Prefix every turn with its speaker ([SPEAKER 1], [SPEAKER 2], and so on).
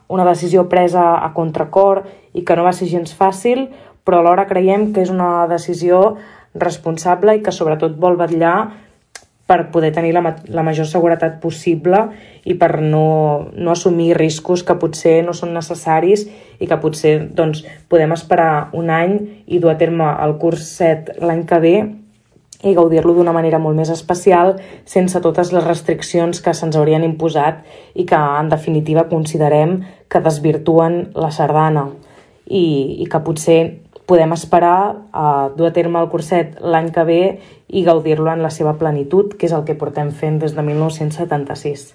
[SPEAKER 1] una decisió presa a contracor i que no va ser gens fàcil, però alhora creiem que és una decisió responsable i que sobretot vol vetllar per poder tenir la major seguretat possible i per no assumir riscos que potser no són necessaris i que potser podem esperar un any i dur a terme el curs 7 l'any que ve i gaudir-lo d'una manera molt més especial sense totes les restriccions que se'ns haurien imposat i que en definitiva considerem que desvirtuen la sardana i que potser podem esperar a dur a terme el curset l'any que ve i gaudir-lo en la seva plenitud, que és el que portem fent des de 1976.